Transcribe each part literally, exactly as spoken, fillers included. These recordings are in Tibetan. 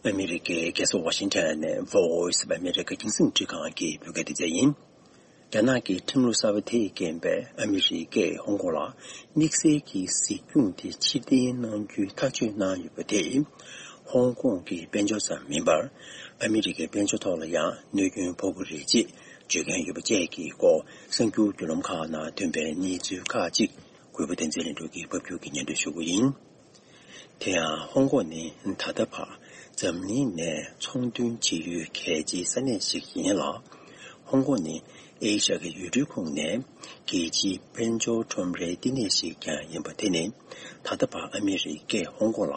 ཨ་མི་རི་ཀའི་རྒྱལ་ས་ཝ་ཤིང་ཊོན་ནས་Voice of America རྒྱང་སྲིང་འཕྲིན་ཁང་གི་བོད་སྐད་སྡེ་ཚན་ཡིན། རྒྱ་ནག་གི་ཁྲིམས་ལུགས་གསར་པ་དེས་རྐྱེན་པས་ཨ་མི་རི་ཀས་ཧོང་ཀོང་ལ་དམིགས་བསལ་གྱི་གཟིགས་སྐྱོང་དེ་ཕྱིར་འཐེན་གནང་རྒྱུའི་ཐག་གཅོད་གནང་ཡོད་པ་དེས། ཧོང་ཀོང་གི་དཔལ་འབྱོར་ཙམ་མིན་པར། ཨ་མི་རི་ཀའི་དཔལ་འབྱོར་ཐོག་ལ་ཡང་གནོད་སྐྱོན་ཕོག་གི་རེད་ཅེས་བརྗོད་མཁན་ཡོད་པ་བཅས་ཀྱི་སྐོར་གསར་འགྱུར་བརྒྱུད་ལམ་ཁག་ནང་ཐོན་པའི་གནས་ཚུལ་ཁག་ཅིག་གུས་པ་བསྟན་འཛིན་ལྷུན་གྲུབ་ཀྱིས་ཕབ་སྒྱུར་གྱིས་སྙན་སྒྲོན་ཞུ་གི་ཡིན། དེ་ཡང་ཧོང་ཀོང་ནི་ད་ལྟ་བར་འཛམ་གླིང་ནས་ཚོང་དོན་བྱེད་ཡུལ་གལ་ཆེའི་ས་གནས་ཤིག་ཡིན་ལ། ཧོང་ཀོང་ནི་ཨེ་ཤ་ཡའི་ཡུལ་གྲུའི་ཁོངས་ནས་རྒྱལ་སྤྱིའི་དཔལ་འབྱོར་ཁྲོམ་རའི་བསྟི་གནས་ཤིག་ཀྱང་ཡིན་པ་དེ་ནི། ད་ལྟ་བར་ཨ་མི་རི་ཀས་ཧོང་ཀོང་ལ་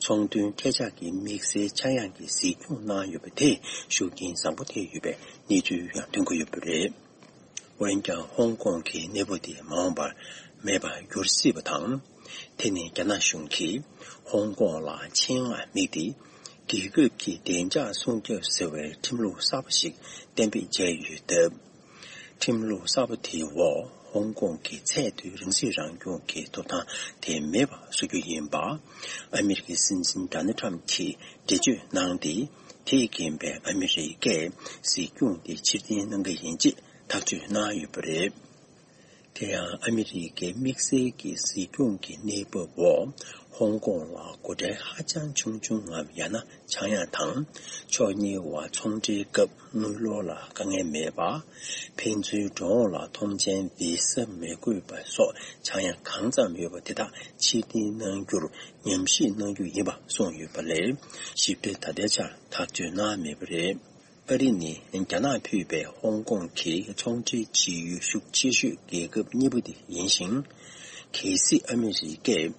ཚོང་དོན་ཐད་ཀར་གྱི་དམིགས་བསལ་ཆག་ཡང་གི་གཟིགས་སྐྱོང་གནང་ཡོད་པ་དེ་ཤུགས་རྐྱེན་བཟང་པོ་ཐེབས་ཡོད་པའི་གནས་ཚུལ་ཡང་ཐོན་གྱི་ཡོད་པ་རེད། འོན་ཀྱང་ཧོང་ཀོང་གི་གནས་བབ་དེ་མ་འོངས་པར་མེད་པར་འགྱུར་སྲིད་པ་དང་། དེ་ནི་རྒྱ་ནག་གཞུང་གིས་ཧོང་ཀོང་ལ་ཆེད་མངགས་དམིགས་ཏེ། རྒྱལ་ཁབ་ཀྱི་བདེ་འཇགས་སྲུང་སྐྱོབ་ཟེར་བའི་ཁྲིམས་ལུགས་གསར་པ་ཞིག་གཏན་འབེབས་བྱས་ཡོད་སྟབས། ཁྲིམས་ལུགས་གསར་པ་དེའི་འོག་ཧོང་ཀོང་གི་ཚད་མཐོའི་རང་སྲིད་རང་སྐྱོང་གི་ཐོབ་ཐང་དེ་མེད་པ་བཟོ་རྒྱུ་ཡིན་པ། ཨ་མི་རི་ཀའི་སྲིད་འཛིན་ཌོ་ནལ་ཊམ་གྱིས་འགྲེལ་བརྗོད་གནང་སྟེ། དེས་རྐྱེན་པས་ཨ་མི་རི་ཀས་གཟིགས་སྐྱོང་དེ་ཕྱིར་འཐེན་གནང་གི་ཡིན་ཅེས་ཐག་གཅོད་གནང་ཡོད་པ་རེད། དེ་ཡང་ཨ་མི་རི་ཀའི་དམིགས་བསལ་གྱི་གཟིགས་སྐྱོང་གི་གནས་བབ་འོག་ཧོང་ཀོང་ལ་སྒོ་ཁྲལ་ཧ་ཅང་ཆུང་ཆུང་ངམ་ཡང་ན་ཆག་ཡང་དང་། ཕྱོགས་གཉིས་བར་ཚོང་འབྲེལ་སྐབས་དངུལ་ལོར་ལ་དཀའ་ངལ་མེད་པ། ཕན་ཚུན་འགྲོ་འོང་ལ་ཐོངས་མཆན་བི་ས་མི་དགོས་པ་སོགས་ཆག་ཡང་གང་ཙམ་ཡོད་པ་དེ་དག་ཕྱིར་འཐེན་གནང་རྒྱུར་ཉམས་ཞིབ་གནང་རྒྱུ་ཡིན་པ་གསུངས་ཡོད་པ་ལས། ཞིབ་ཕྲ་ད་ལྟའི་ཆར་ཐག་གཅོད་གནང་མེད་པ་རེད། ཨ་རི་ནི་རྒྱ་ནག་ཕུད་པའི་ཧོང་ཀོང་གི་ཚོང་འབྲེལ་བྱེད་ཡུལ་ཤུགས་ཆེ་ཤོས་རྒྱལ་ཁབ་གཉིས་པ་དེ་ཡིན་ཞིང་། གལ་སྲིད་ཨ་མི་རི་ཀས་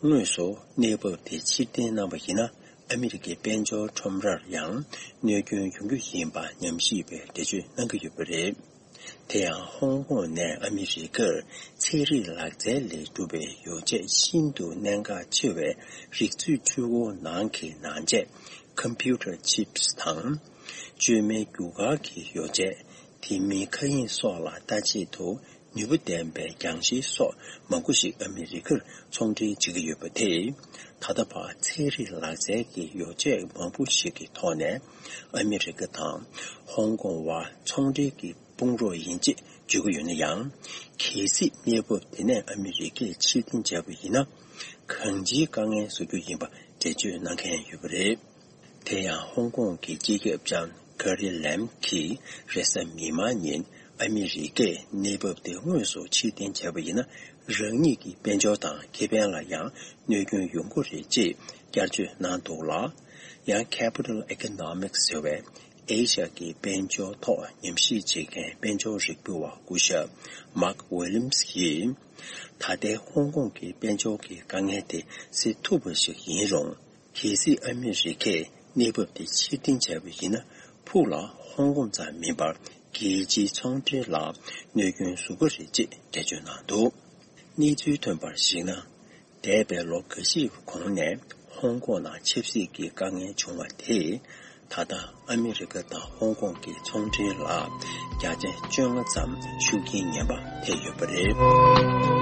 དངོས་སུ་གནས་བབ་དེ་ཕྱིར་འཐེན་གནང་བ་ཡིན་ན། ཨ་མི་རི་ཀའི་དཔལ་འབྱོར་ཁྲོམ་རར་ཡང་གནོད་སྐྱོན་ཡོང་རྒྱུ་ཡིན་པ་ཉམས་ཞིབ་པས་འགྲེལ་བརྗོད་གནང་གི་ཡོད་པ་རེད། དེ་ཡང་ཧོང་ཀོང་ནས་ཨ་མི་རི་ཀར་ཚན་རིག་ལག་རྩལ་ལས་གྲུབ་པའི་ཡོ་བྱད་ཤིན་ཏུ་གནད་འགག་ཆེ་བའི་རིག་མཛོད་འཕྲུལ་འཁོར་ནང་གི་ནང་ཆས། Computer Chips དང་། བཅོས་མའི་རྒྱུ་སྐར་གྱི་ཡོ་བྱད། དེ་མིན་མཁའ་དབྱིངས་སོགས་ལ་ལྟ་ཆེད་དུ་ནུས་པ་ལྡན་པའི་རྒྱང་ཤེལ་སོགས་མང་པོ་ཞིག་ཨ་མི་རི་ཀར་ཚོང་འབྲེལ་བྱེད་ཀྱི་ཡོད་པ་དེས། ད་ལྟ་བར་ཚན་རིག་ལག་རྩལ་གྱི་ཡོ་བྱད་མང་པོ་ཞིག་གི་ཐོག་ནས་ཨ་མི་རི་ཀ་དང་ཧོང་ཀོང་བར་ཚོང་འབྲེལ་གྱི་དཔུང་རོགས་ཡིན་ཅེས་བརྗོད་ཀྱི་ཡོད་ན་ཡང་། གལ་སྲིད་གནས་བབ་དེ་ནས་ཨ་མི་རི་ཀས་ཕྱིར་འཐེན་བྱས་པ་ཡིན་ན། གང་ཅིའི་དཀའ་ངལ་བཟོ་རྒྱུ་ཡིན་པ་འགྲེལ་བརྗོད་གནང་མཁན་ཡོད་པ་རེད། དེ་ཡང་ཧོང་ཀོང་གི་སྤྱི་ཁྱབ་ལྕམ་ཀེ་རི་ལེམ་གྱིས་རེས་གཟའ་མིག་དམར་ཉིན་ཨ་མི་རི་ཀས་གནས་བབ་དེ་དངོས་སུ་ཕྱིར་འཐེན་བྱས་པ་ཡིན་ན། རང་ཉིད་ཀྱི་དཔལ་འབྱོར་དང་ཁེ་ཕན་ལ་ཡང་གནོད་སྐྱོན་ཡོང་གི་རེད་ཅེས་བསྐྱར་བརྗོད་གནང་འདུག་ལ། ཡང་Capital Economics ཟེར་བའི་ཨེ་ཤ་ཡའི་དཔལ་འབྱོར་ཐོག་ཉམས་ཞིབ་བྱེད་མཁན་དཔལ་འབྱོར་རིག་པ་བ་སྐུ་ཞབས་Mark Williams ཡིས། ད་ལྟའི་ཧོང་ཀོང་གི་དཔལ་འབྱོར་གྱི་དཀའ་ངལ་དེ་སེལ་ཐུབ་པ་ཞིག་ཡིན་རུང་། གལ་སྲིད་ཨ་མི་རི་ཀས་གནས་བབ་དེ་ཕྱིར་འཐེན་བྱས་པ་ཡིན་ན། ཕུགས་ལ་ཧོང་ཀོང་ཙམ་མིན་པར་རྒྱལ་སྤྱིའི་ཚོང་འབྲེལ་ལ་གནོད་སྐྱོན་བཟོ་གི་རེད་ཅེས་འགྲེལ་བརྗོད་གནང་འདུག། གནས་ཚུལ་ཐོན་པར་གཞིགས་ན། འདས་པའི་ལོ་འགའ་ཤས་གོང་ནས་ཧོང་ཀོང་ནང་ཆབ་སྲིད་ཀྱི་དཀའ་ངལ་བྱུང་བ་དེས། ད་ལྟ་ཨ་མི་རི་ཀ་དང་ཧོང་ཀོང་གི་ཚོང་འབྲེལ་ལ་བརྒྱ་ཆ་བཅོ་ལྔ་ཙམ་ཤུགས་རྐྱེན་ངན་པ་ཐེབས་ཡོད་པ་རེད།